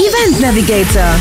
Event Navigator.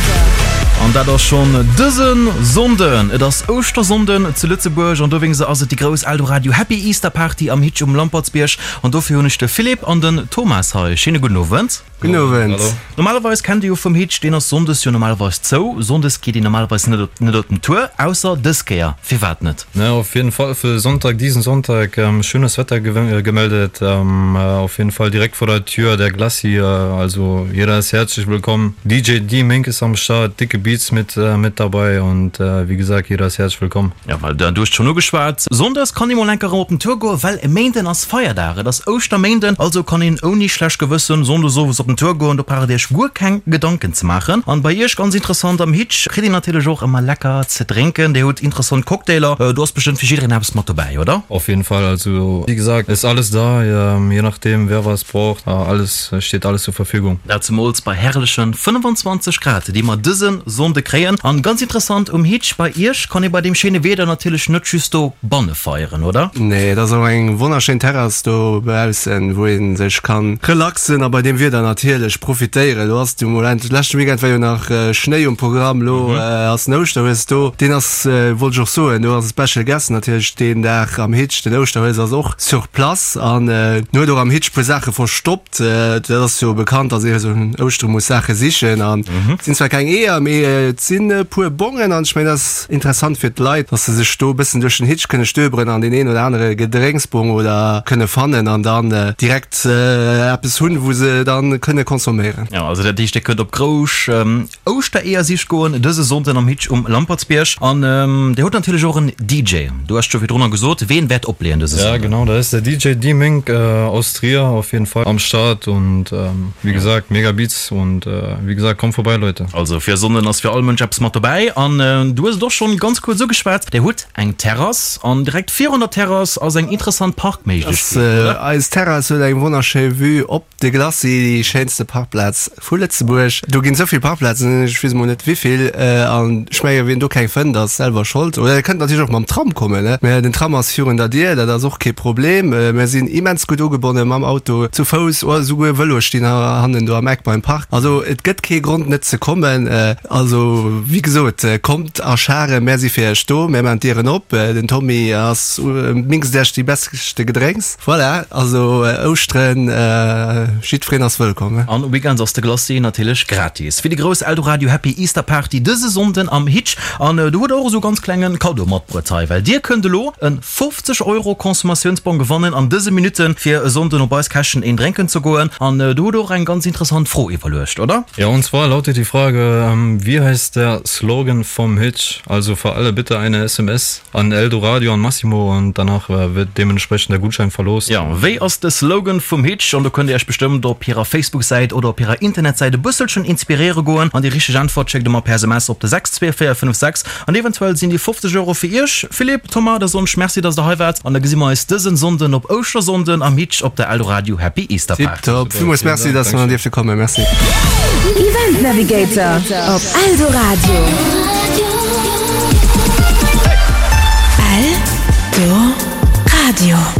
An dat ass schonn dëse Sonnden. Et ass Ouschtersonnden zu Lëtzebuerg an dowéinst ass et déi grouss Eldoradio Happy Easter Party am Hitch um Lampertsbierg. An dofir hunn ech de Philippe an den Thomas hei. Schéine gudden Owend. Gudden Owend. Normalerweis kennt Dir jo vum Hitch, deen ass sonndes jo normalerweis zou. Sonndes geet een normalerweis net op net op den Tour, ausser dës Kéier. Firwat net? Ne, auf jeden Fall für Sonntag, diesen Sonntag, schönes Wetter gemeldet, auf jeden Fall direkt vor der Tür der Glacis, also jeder ist herzlich willkommen. DJ D-Mink ist am Start, dicke Beats mit mit dabei und wie gesagt, jeder ist herzlich willkommen. Jo, well du hues schonn ugeschwat, Sonndes kann ee mol enker erëm op den Tour goen, well e Méinden ass Feierdag, et ass Ouschterméinden, also kann een ouni schlecht Gewëssen Sonndes owes op den Tour goen, do braucht dir iech guer keng Gedanken ze maachen. An bei iech ganz interessant, am Hitch kritt een natierlech och ëmmer lecker ze drénken, dir hutt interessant Cocktailer, do ass bestëmmt fir jiddereen eppes mat dobäi, oder? Auf jeden Fall, also wie gesagt, ist alles da, je nachdem wer was braucht, alles steht alles zur Verfügung. Dat zemools bei herrlechen 25 Grad, déi mer dëse Sonnde kréien. An ganz interessant um Hitch bei iech kann ee bei deem schéine Wieder natierlech net just do banne feieren, oder? Nee, et ass och eng wonnerschéin Terrass do baussen, wou ee sech kann relaxen a bei deem Wieder natierlech profitéieren. Lo ass de Moment, leschte Weekend war jo nach Schnéi um Programm, lo ass den Ouschterhues do. Deen ass, wollt ech och soen, do ass e Special Guest natierlech deen Dag am Hitch. Den Ouschterhues ass och sur place an en huet och am Hitch puer Saache verstoppt. Dat ass jo bekannt, dass ee esou un Ouschtere muss Saache sichen. An et sinn zwar keng Eeër, mee et sinn e puer Bongen. An ech mengen, dat ass interessant fir d'Leit, dass se sech do e bëssen duerch den Hitch kënne stöberen an deen een oder anere Gedrénksbong oder kënne fannen an dann direkt eppes hunn, wou se dann kënne consomméieren. Jo, also dat heescht, Dir kënnt op Grousch Ouschtereeër-Sich goen dëse Sonnden am Hitch um Lampertsbierg. An Dir hutt natierlech och en DJ. Du has scho virdrunner gesot, ween wäert opleeën dëse Sonnden? Ja genau, da ist der DJ D-Mink aus Trier auf jeden Fall am Start und wie gesagt mega Beats und wie gesagt kommt vorbei Leute. Also fir e Sonnden ass fir all Mënsch eppes mat dobäi. An du hues et och schonn ganz kuerz ugeschwat, Dir hutt eng Terrass an direkt virun der Terrass ass eng interessant Parkméiglechkeet, oder? Eis Terrass huet eng wonnerschéi Vue op De Glacis, déi schéinste Parkplaz vu Lëtzebuerg. Do ginn esou vill Parkplazen, ech weess emol net wéivill. An ech menge wien do keng fënnt, ass selwer Schold. Oder dir kënnt natierlech och mam Tram kommen, mä den Tram ass virun der Dier, dat ass och kee Problem. Mir sinn immens gutt ugebonne mam Auto, zu Fouss oder esouguer Vëloe stinn hannen do am Eck beim Park. Also et gëtt kee Grond net ze kommen. Also wéi gesot, kommt a Scharen, mär si fir iech do, mär maachen d'Dieren op. Den Tommy ass minkst iech déi beschte Gedrénks. Voilà, also Ouschteren, jiddwereen ass wëllkomm. An weekends ass de Glacis natierlech gratis. Fir déi grouss Eldoradio Happy Easter Party dëse Sonnden am Hitch. An do hutt der och esou ganz klengen Cadeau matbruet hei, well dir kënnt elo en 50 Euro Consommatiounsbong gewannen an dëse Minutten fir e Sonnden op eis Käschten een drénken ze goen. An do hutt der och eng ganz interessant Fro iwwerluecht, oder? Ja, und zwar lautet die Frage, Wie heißt der Slogan vom Hitch? Also für alle bitte eine SMS. An Eldoradio an Massimo an danach wird deementsprechend der Gutschein verlost. Jo, wéi ass de Slogan vum Hitch? An do kënnt dir iech bestëmmt op hirer Facebook-Säit oder op hirer Internetsäit e bësselchen inspiréiere goen. An déi richteg Äntwert schéckt der mer per SMS op de 62456 an eventuell sinn déi 50 Euro fir iech. Philippe, Thomas, da soen ech Merci, dass der hei waart an da gesi mer eis dësen Sonnden op Ouschtersonnden am Hitch op der Eldoradio Happy Easter Party. Tiptop, villmools Merci, dass mer dierfte kommen. Merci. Event Navigator op Eldoradio. Eldoradio.